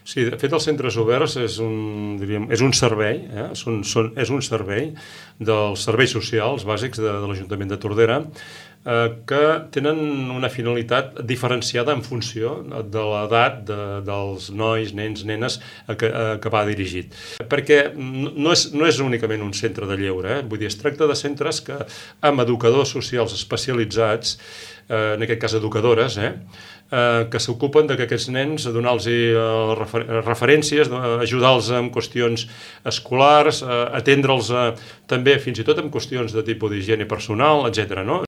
Sí, de fet, els centres oberts és un servei, és un servei dels serveis socials bàsics de l'Ajuntament de Tordera, que tenen una finalitat diferenciada en funció de l'edat dels nois, nens, nenes que va dirigit. Perquè no és únicament un centre de lleure, vull dir, es tracta de centres que amb educadors socials especialitzats, en aquest cas educadores, que s'ocupen que aquests nens, donar-los referències, ajudar-los en qüestions escolars, atendre'ls també fins i tot en qüestions de tipus d'higiene personal, etc.